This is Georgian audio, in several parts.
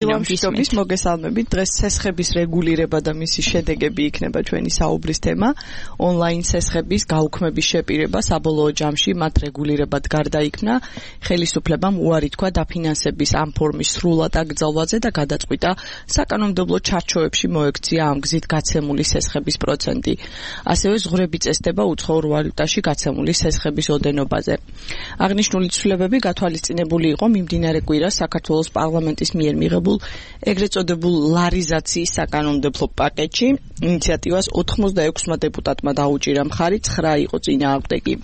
მშვიდობის მოგესალმებით. დღეს სესხების რეგულირება და მისი შედეგები იქნება ჩვენი საუბრის თემა. ონლაინ სესხების გაუქმების შეპირება საბოლოო ჯამში მათ რეგულირებად გარდაიქმნა. ხელისუფლებამ უარი თქვა დაფინანსების ამ ფორმის სრულად აკრძალვაზე და გადაწყვიტა საკანონმდებლო ჩარჩოებში მოექცია ამ გზით გაცემული სესხების პროცენტი. ასევე ზღვრები წესდება უცხოურ ვალუტაში გაცემული სესხების ოდენობაზე. აღნიშნული ცვლილებები გათვალისწინებული იყო მიმდინარე კვირას საქართველოს პარლამენტის მიერ მიღებულ ეგრეთ წოდებულ ლარიზაციის საკანონმდებლო პაკეტში. ინიციატივას 86 დეპუტატმა დაუჭირა მხარი, 9 იყო წინააღმდეგი.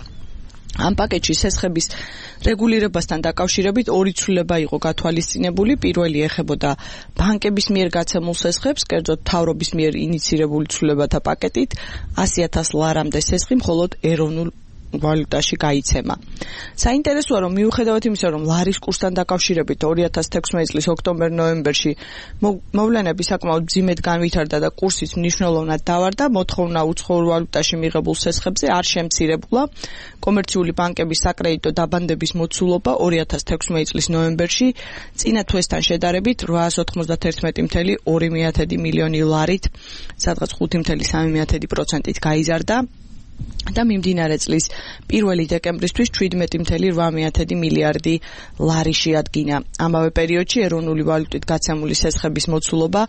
ამ პაკეტში სესხების რეგულირებასთან დაკავშირებით ორი ცვლილება იყო გათვალისწინებული. პირველი ეხებოდა ბანკების მიერ გაცემულ სესხებს, კერძოდ მთავრობის მიერ ინიცირებული ცვლილებათა პაკეტით 100,000 ლარამდე სესხი მხოლოდ ეროვნულ ვალუტაში გაიცემა. საინტერესოა, რომ მიუხედავად იმისა, რომ ლარის კურსთან დაკავშირებით 2016 წლის ოქტომბერ-ნოემბერში მოვლენები საკმაოდ მძიმედ განვითარდა და კურსიც მნიშვნელოვნად დავარდა, მოთხოვნა უცხოურ ვალუტაში მიღებულ სესხებზე არ შემცირებულა. კომერციული ბანკების საკრედიტო დაბანდების მოცულობა 2016 წლის ნოემბერში წინა თვესთან შედარებით 891,2 მილიონი ლარით, სადღაც 5,3% გაიზარდა. და მიმდინარე წლის 1 დეკემბრისთვის 17,8 მილიარდი ლარი შეადგინა. ამავე პერიოდში ეროვნული ვალუტით გაცემული სესხების მოცულობა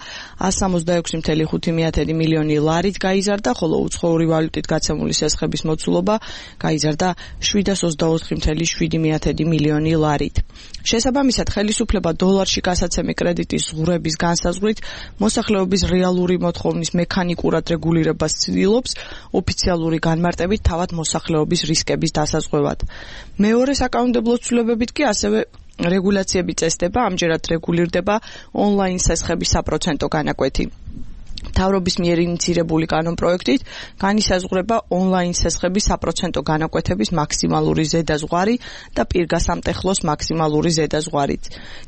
166,5 მილიონი ლარით გაიზარდა, ხოლო უცხოური ვალუტით გაცემული სესხების მოცულობა გაიზარდა 724,7 მილიონი ლარით. შესაბამისად, ხელისუფლება დოლარში გასაცემი კრედიტის ზღვრების განსაზღვრით მოსახლეობის რეალური მოთხოვნის მექანიკურად რეგულირებას ცდილობს ოფიციალური განმარტებით თავად მოსახლეობის რისკების დასაზღვევად. მეორე საკანონმდებლო ცვლილებებით კი ასევე რეგულაციები წესდება, ამჯერად რეგულირდება ონლაინ სესხების საპროცენტო განაკვეთი. მთავრობის მიერ ინიცირებული კანონპროექტით განისაზღვრება ონლაინ სესხების საპროცენტო განაკვეთების მაქსიმალური ზედაზღვარი და პირგასამტეხლოს მაქსიმალური ზედაზღვარით.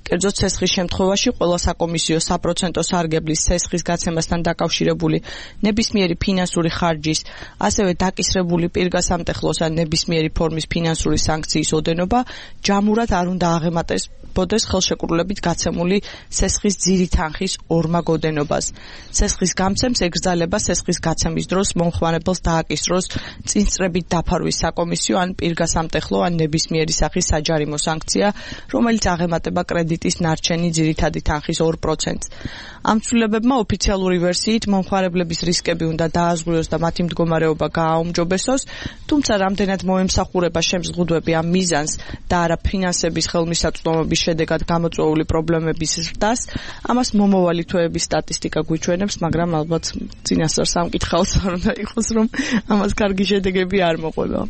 კერძოდ სესხის შემთხვევაში ყველა საკომისიო საპროცენტო სარგებლის სესხის გაცემასთან დაკავშირებული ნებისმიერი ფინანსური ხარჯის, ასევე დაკისრებული პირგასამტეხლოს ან ნებისმიერი ფორმის ფინანსური სანქციის ოდენობა ჯამურად არ უნდა აღემატებოდეს ხელშეკრულებით გაცემული სესხის ძირი თანხის ორმაგ ოდენობას. სესხის გამცემს ეკრძალება სესხის გაცემის დროს მომხმარებელს დააკისროს წინწრებით დაფარვის საკომისიო ან პირგასამტეხლო ან ნებისმიერი სახის საჯარიმო სანქცია, რომელიც აღემატება კრედიტის ნარჩენი ძირითადი თანხის 2%-ს. ამ ცვლილებებმა ოფიციალური ვერსიით მომხმარებლების რისკები უნდა დააზღვიოს და მათი მდგომარეობა გააუმჯობესოს, თუმცა რამდენად მოემსახურება შემზღუდვები ამ მიზანს და არა ფინანსების ხელმისაწვდომობის შედეგად გამოწვეული პრობლემების ზრდას, ამას მომავალი თვეების სტატისტიკა გვიჩვენებს, მაგრამ ალბათ წინასწარ სამკითხავთ არ უნდა იყოს, რომ ამას კარგი შედეგები არ მოყვება.